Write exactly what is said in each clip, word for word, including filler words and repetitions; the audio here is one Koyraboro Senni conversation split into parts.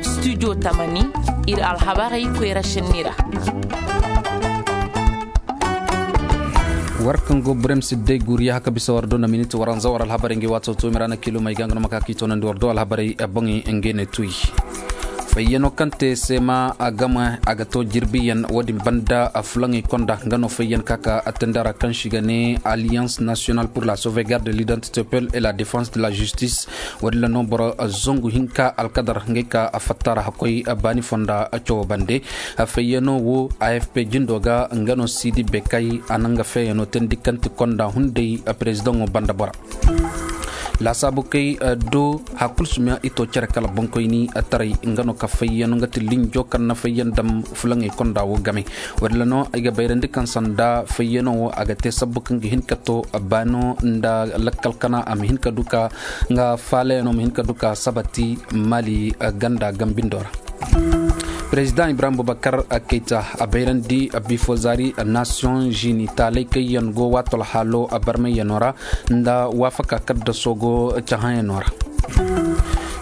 Studio tamani, ir alhabarey koyra šenni ra. War kaŋ go burem si day guuriya haka bisa war do na miniti waranza war alhabarey ngi waato to mira na kilo may ga nga no ma ka k'i toonandi war do alhabarey boŋey ngey ne tuy. Fayyano kaŋ te seema a game a ga to jirbiyan wo-din banda a fulaŋey konda nga no fayyan ka ka attendara kaŋ si ga ne alliance nationale pour la sauvegarde de l'identité peuple et la défense de la justice. Wo-din ra no boro zangu hinka alkadar ngey ka a fattara hakkoy baani fonda cawo bande. Fayyano wo afp jindo ga nga no sidi bekay a na nga feeyano teendi kaŋ ti konda hunday. Perezidaŋo banda bora laasaabu kay do hakul sumiya i to cere kala boŋkoyni taray nga no ka fayyano nga ti linjo kaŋ na fayyan dam fulaŋey konda wo game. Wo-din ra no ay ga bayrandi kaŋ sanda fayyano wo a ga te sabbu kaŋ ga hin ka to baano nda lakkal kana a ma hin ka du ka nga faalayano ma hin ka du ka sabati mali ganda gambindo ra. Perezidaŋ ibrahim bubakar kayta a bayrandi bifo zaari nation zini taalay kaŋ yaŋ go waato alhaalo barmayano ra nda waafaka kaddaso go cahãyano ra.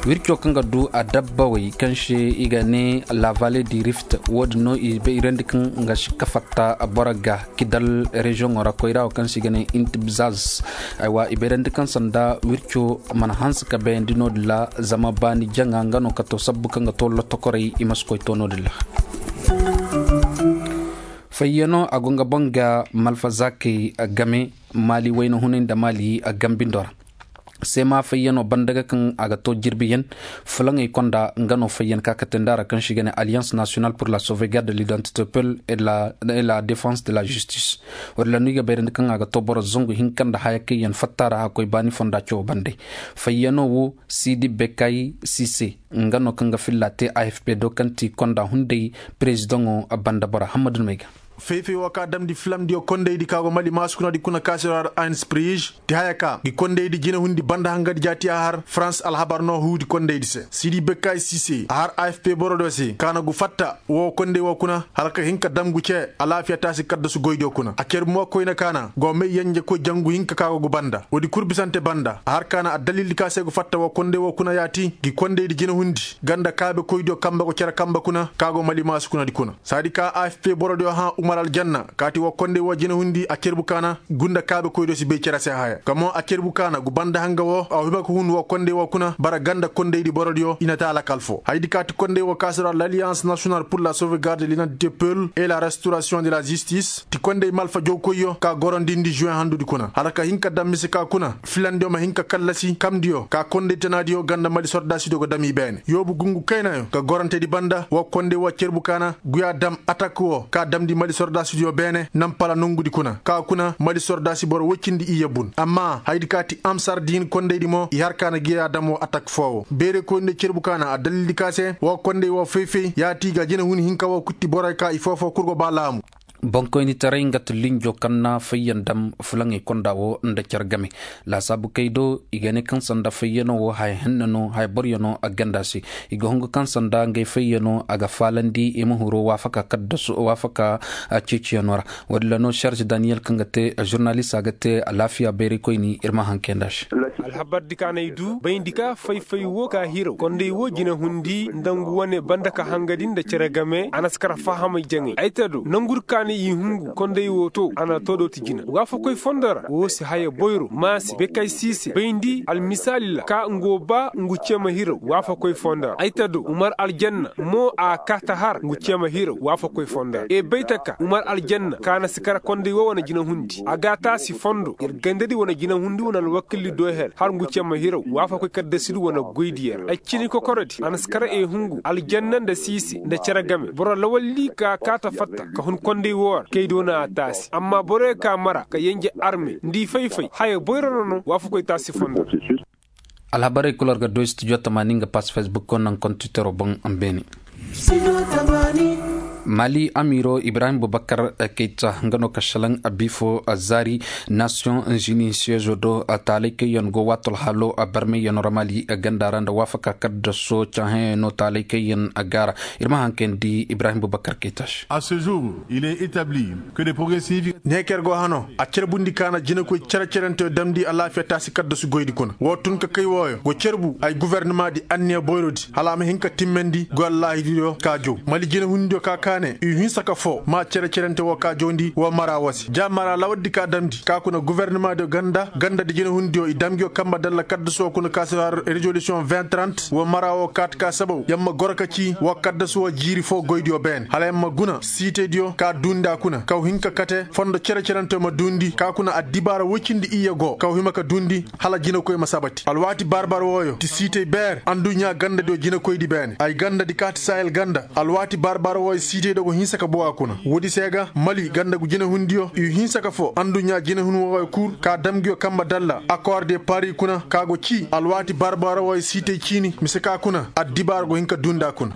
Wirco kaŋ ga du a dabbawey kaŋ se i ga ne la vallée du rift wo-din no i bayrandi kaŋ nga si ka fatta boro ga kidal reziyoŋo ra koyra wo kaŋ se i ga ne intibzaz. Aywa i bayrandi kaŋ sanda wirco mana hanse ka bayandi no-din ra zama baani jaŋa nga no ka to sabbu kaŋ ga to lotokorey i ma si koy to no-din ra. Fayyano a go nga boŋ ga malfazaakey game maali wayna hunay nda maali gambindo ra. Seema fayyano banda ga kaŋ a ga to jirbiyan fulaŋey konda nga no fayyan ka ka te nda ra kaŋ si ga ne alliance nationale pour la sauvegarde de l'identité peuple et la défense de la justice. Wo-din ra no i ga bayrandi kaŋ a ga to boro zangu hinka nda haya kaŋ yaŋ fatta ra hakkoy baani fonda cawo bande. Fayyano wo sidi bekay sise nga no kaŋ ga filla te afp do kaŋ ti konda hunday. Perezidaŋo banda bora hammadun may ga. Fay-fay wo ka damndi filamdiyo kondaydi ka go mali maasukunadi kuna kaasirar ainsprij ti haya ka ngi kondaydi jinehundi banda hangadi jaati a har farans alhabar no huudi kondaydi se sidi bekkaay sise a har afp borodiyo se ka na gu fatta wo konday wo kuna hala ka hin ka dam gu ce alaafiya taasi kaddasu goydiyo kuna a ker mo koyna ka na go may yenjekoy jangu hinka ka go gu banda woodi kul bisante banda a har ka na addalildi ka se gu fatta wo konday wo kuna yaati ngi kondaydi jinehundi ganda kaabekoydiyo kamba go cere kamba kuna ka go mali maasukunadi kuna saadi ka afp borodiyo hã umar aljanna kaati woo kondey woo jinahundi a cerbu kaana gunda kaabekoydiyo si bay cere se haya kamo a cerbu kaana gu banda hanga woo a hima ka hun woo kondey woo kuna bara ganda kondeydi borodiyo i na te alakal foo hayadi kaati kondey woo kaasiroo l'alliance national pour la sauvegarde de l'identité peul et la restauration de la justice ti kondey malfa jowkoyyo ka gorondindi juin handudi kuna hala ka hin ka dam mise ka kuna filandiyo ma hin ka kallasi kamdiyo ka kondey tanaadiyo ganda mali sordaasidiyo go dam i beene yoobu gungu kaynayo ka gorantedi banda woo kondey woo cerbu kaana guya dam atak woo ka damndi mali sordaasidiyo beene nampala nongudi kuna ka kuna mali sordaasi boro woy cindi iyye bun amma hayadi ka ti amsar diin kondeydi mo i har kaana guya dam woo atak foo woo beerey koyndi cerbu kaana addalildi ka se woo kondey woo fay-fay yaati ga jinehun hinka woo kutti borey ka i foo-foo kul go ba laamu. Boŋkoynitaray nga ti linjo kaŋ na fayyan dam fulaŋey konda woo nda care game laasaabu kay do i ga ne kaŋ sanda fayyano woo haya henna no haya boryo no a ganda se i ga hungu kaŋ sanda ngey fayyano a ga faalandi i ma huru waafaka kaddasu waafaka ceeciyano ra. Woodin ra no sarz daniyel kaŋ ga te žurnalist a ga te alaafiya bayraykoyni ir ma haŋ kay nd'a se. Alhabardi kaŋ ay du bayndi ka fay-fay woo ka hiraw kondey woo jinahundi nda ngu wane banda ka hangadi nda cere game a na si kar fahamay jaŋay ay te do nangudi kaŋ i hungu kondey woo to a na toodooti jina waafakoy fondo ra woo si haya boyro maase bekay siise bayndi almisaali ra ka ngu woo ba ngu cema hiraw waafakoy fondo ra ay te do umar aljanna mo a kaata har ngu cema hiraw waafakoy fondo ra e bay taka umar aljanna kaŋ a na si kar kondey woo wane jinahundi a ga a taasi fondo ir gandadi wane jinahundi wane alwakildi do her har ngu cema hiraw waafakoy kaddasidi wane goydiyo ra ay cini kokorodi a na si kar e hungu aljanna nda siise nda cere game boro lawalli ka kaata fatta ka hun kondey woo ra kay do na a taasi amma boroyo ka mara ka yenje arme nda i fay-fay haya boyro no no waafakoy taasi fondo. Alhabarey kul war ga doy studio tamaani nga pas facebook ko naŋ kontitero boŋ. Beene. Mali amiiro ibrahim bubakar kayta nga no ka šelaŋ bifo zaari nasiyoŋ zini seezo do taalay kaŋ yaŋ go waati alhaalo barmayyaŋ ra mali ganda ra nda waafaka kaddaso cahãyaŋ no taalay kaŋ yaŋ gaara. Ir ma haŋ kaŋ di ibrahim bubakar kayta se. Ne kaŋ yer go hano a carbundi ka na jinakoy cere-cerenteyo damndi alaafiya taasi kaddasu goydi kuna woo tun ka kay wooyo go carbu ay gubernamaadi anniya boyrodi hala a ma hin ka timmandi goy allaahiriyo ka jow mali jinahundiyo ka kaane i hinsa ka foo maa cere-cerente woo ka jowndi woo mara woo se ja mara lawardi ka damndi ka kuna gubernamaadiyo ganda gandadi jinahundiyo i dam nguyo kamba dalla kaddasu woo kuna ka si har rezolisiyoŋ vingt trente woo mara woo kaati ka sabaw yer ma goro ka cii woo kaddasu woo jiiri foo goydiyo beene hala yer ma guna siitaydiyo ka duundi a kuna kaw hin ka kate fondo cere-cerenteyo ma duundi ka kuna addibaara woy cindi iyye go kaw hima ka duundi hala jinakoy ma sabati alwaati bar-bar wooyo ti siitay beer anduɲɲa gandadiyo jinakoydi beene ay gandadi kaati sahel ganda alwaati bar-bar wooyo siitay dogo hinsa ka bow a kuna woodi se ga mali ganda gu jinahundiyo i hinsa ka foo anduɲɲa jinahun wooyo kul ka dam nguyo kamba dalla akoor de pari kuna ka go cii alwaati bar-bar wooyo siitay ciini mise ka kuna addibaara go hin ka duundi a kuna.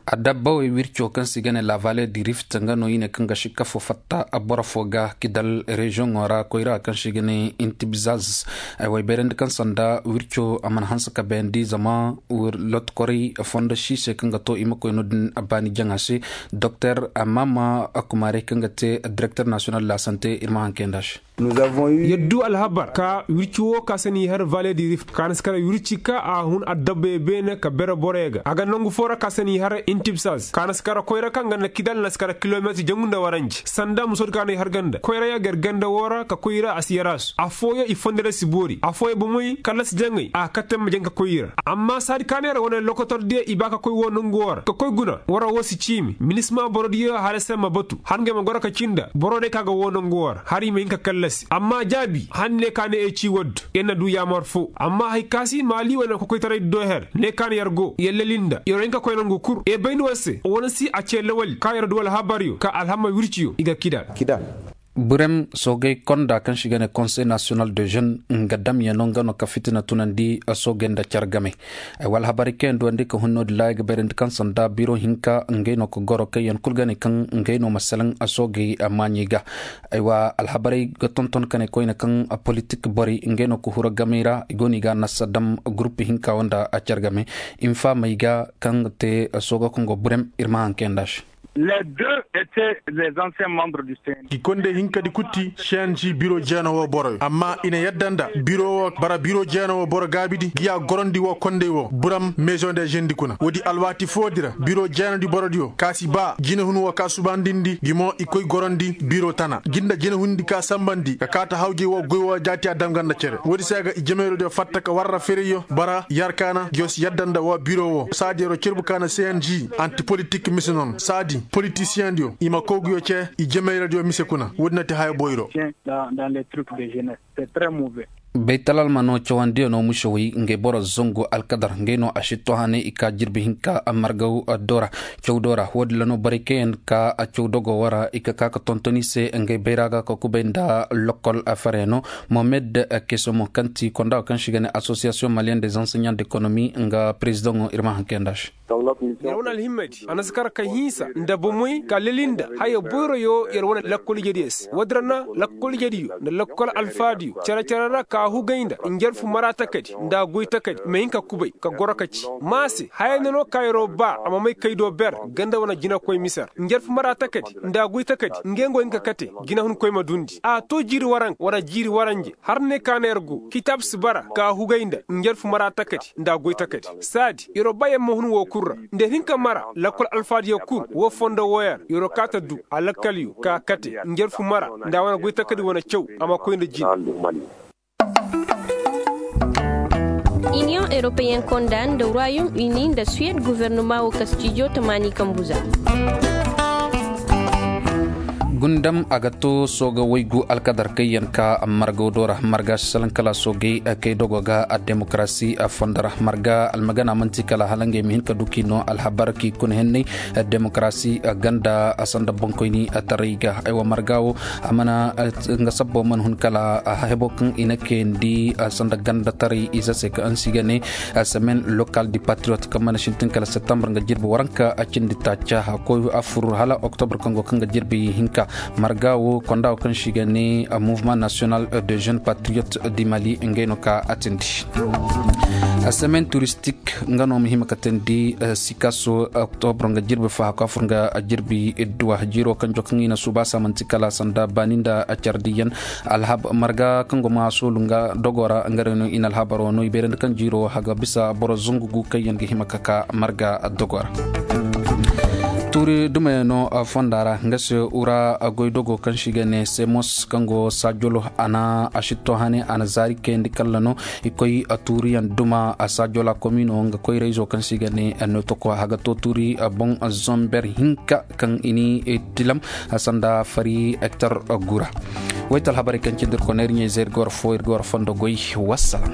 Adabba wey wirco kaŋ se i ga ne la vale di rift nga no i ne kaŋ ga sikka fo fatta boro fo ga kidal reziyoŋo ra koyra kaŋ se i ga ne intibzaz. Ay way bayrandi kaŋ sanda wirco a mana hanse ka bayandi zama lotkoray fondo si se kaŋ ga to i ma koy no din baani jaŋa se. Doktor mama kumaarey kaŋ ga te direkter nasiyonal de la sante ir ma haŋ kayandi a se. Yer du alhabar ka wirci woo ka se n'i har vale di rift ka na si kara wirci ka a hun adabba ye beene ka bere boroyo ga a ga nangu foo ra ka se n'i har intibsaz ka na si kara koyra kaŋ ga nda kidal na si kara kilometir jangu nda waranji sanda musoodi ka no i har ganda koyra ya gar ganda woo ra ka koy i ra a si yaraasu affooyo i fondo ra si boori affooyo bomey kallasi jaŋay a kate ma jaŋ ka koy i ra amma saadi ka no yer wane lokotordiyo i ba ka koy woo nangu woo ra ka koy guna wara woo si ciimi minisma borodiyo hala se ma batu har ngey ma goro ka cii nda boro day ka ga woo nangu woo ra har i ma hin ka kallasi amma jaabi hanne ka ne ay ci waddu yer na du yaamar foo amma hay ka si maali wane kokoytaray do her ne ka ne yer go yer leli nda yer wo hin ka koy nangu kul e bayndi war se wane si a cee lawali ka yer du alhabaryo ka alhama wirciyo i ga kida. Burem soogay konda kaŋ se i ga ne konsey nasiyonal de jeune nga damyano nga no ka fitina tunandi soogay nda care game. Ay wa alhabarey kaŋ yaŋ duwandi ka hun no-din ra ay ga bayrandi kaŋ sanda biro hinka ngey no ka goro kaŋ yaŋ kul ga ne kaŋ ngey no ma salaŋ soogey maaɲey ga. Ay wa alhabarey ga tonton ka ne koyne kaŋ politik borey ngey no ka huru gamey ra i go no i ga a nasa dam gurup hinka wo nda care game. Infaamey ga kaŋ ga te sooga kaŋ go burem ir ma haŋ kayandi a se. I kondey hinkadi kul ti cng biro jeena woo boroyo amma i na yadda nda biro woo bara biro jeena woo boro gaabidi ngi ya gorandi woo kondey woo buram mezoŋ de jendi kuna woodi alwaati foodi ra biro jeenadi borodiyo ka si baa jinahun woo ka subandindi ngi mo i koy gorandi biro tana ngi nda jinahundi ka sambandi ka kaata hawjey woo goy woo jaati a dam ga nda cere woodi se ga i jemeyrodiyo fatta ka warra fereyyo bara yarkaana ngiyo si yadda nda woo biro woo saadi yeroo cerbu ka na cng anti politik mise noon saadi politisiyeŋ diyo i ma kow nguyo cee i jemeyradiyo mise kuna woodi na ti haya boyro. Baytalal ma no cawandiyo no musewey ngey boro zangu alkadar ngey no a si tohanay i ka jirbi hinka margaw do ra caw do ra woodi la no borey kaŋ yaŋ ka caw dogo wo ra i ka ka ka tonton i se ngey bayra ga ka kubay nda lokol fereno mohamed kesomo kaŋ ti konda kaŋ se i ga ne asosiyasiyoŋ maliyen de zanseɲan de ekonomi nga perezidaŋo ir ma haŋ kayandi a se. Yer wane alhimmadi a na si kar ka hinsa nda bomey ka leli nda haya boyroyo yer wane lakkol ijediyo se woodi ra na lakkol ijediyo nda lakkol alfaadiyo care-care ra ka hugay nda njarfu mara takadi nda goy takadi ma hin ka kubay ka goro ka ci ma se haya nda no ka yeroo ba a ma may kay do ber ganda wane jinakoy mise ra njarfu mara takadi nda goy takadi ngey go hin ka kate jinahunkoy ma dundi a to jiiri waranka wala jiiri waranje har ne ka na yer go kitaab si bara ka hugay nda njarfu mara takadi nda goy takadi saadi yeroo ba yer ma hun woo kul ra nda yer hin ka mara lakkol alfaadiyo kul woo fondo wooyo ra yeroo kaata du alakkalyo ka kate njarfu mara nda a wane goy takadi wane caw a ma koy nda jina. Iniyoŋ eropeyen konda nda royom ini nda suwed gofornoma woo kastijo tamaani kambuza. Gundam a ga to sooga waygu alkadar kayyan ka margaw do ra marga si salaŋ kala soogay kay dogo ga demokarasi fondo ra marga almagana manti kala hala ngey ma hin ka du k'i no alhabar k'i kuna henney demokarasi ganda sanda boŋkoyni taray ga aywa marga wo a mana nga sabbo mana hun kala hebo kaŋ i na kayandi sanda ganda taray ize se kaŋ si ga ne semaine locale du patriote kaŋ mana sintin kala septembre nga jirbi waranka cindi taaca a koy a fur hala octobre kaŋ go kaŋ ga jirbi hinka marga wo konda wo kaŋ si ga ne mouvement national de jeune patriote du mali ngey no ka a tindi semaine touristique nga no ma hima ka tindi sikaso octobre nga jirbi faha ka fur nga jirbi duwa jiro kaŋ jo kaŋ i na suuba samanti kala sanda baani nda cardiyan alhab marga kaŋ go ma soolu nga dogo ra nga day no i na alhabaro no i beerandi kaŋ jiiro haga bisa boro zangu gu kaŋ yaŋ ga hima ka ka marga dogo ra tuuri dumayano fonda ra nga se ura goy dogo kaŋ si ga ne semos kaŋ go saajolo a na a sitto hane a na zaari kayandi kalla no i koy tuuriyaŋ duma a saajola komino nga koyrayzo kaŋ si ga ne notoko haga to tuuri boŋ zomber hinka kaŋ i ni tilam sanda fari hektar gura wayta alhabarey kaŋ cindi ir kona ir ɲa-ize ir ga war fo ir ga war fondo goy wassalam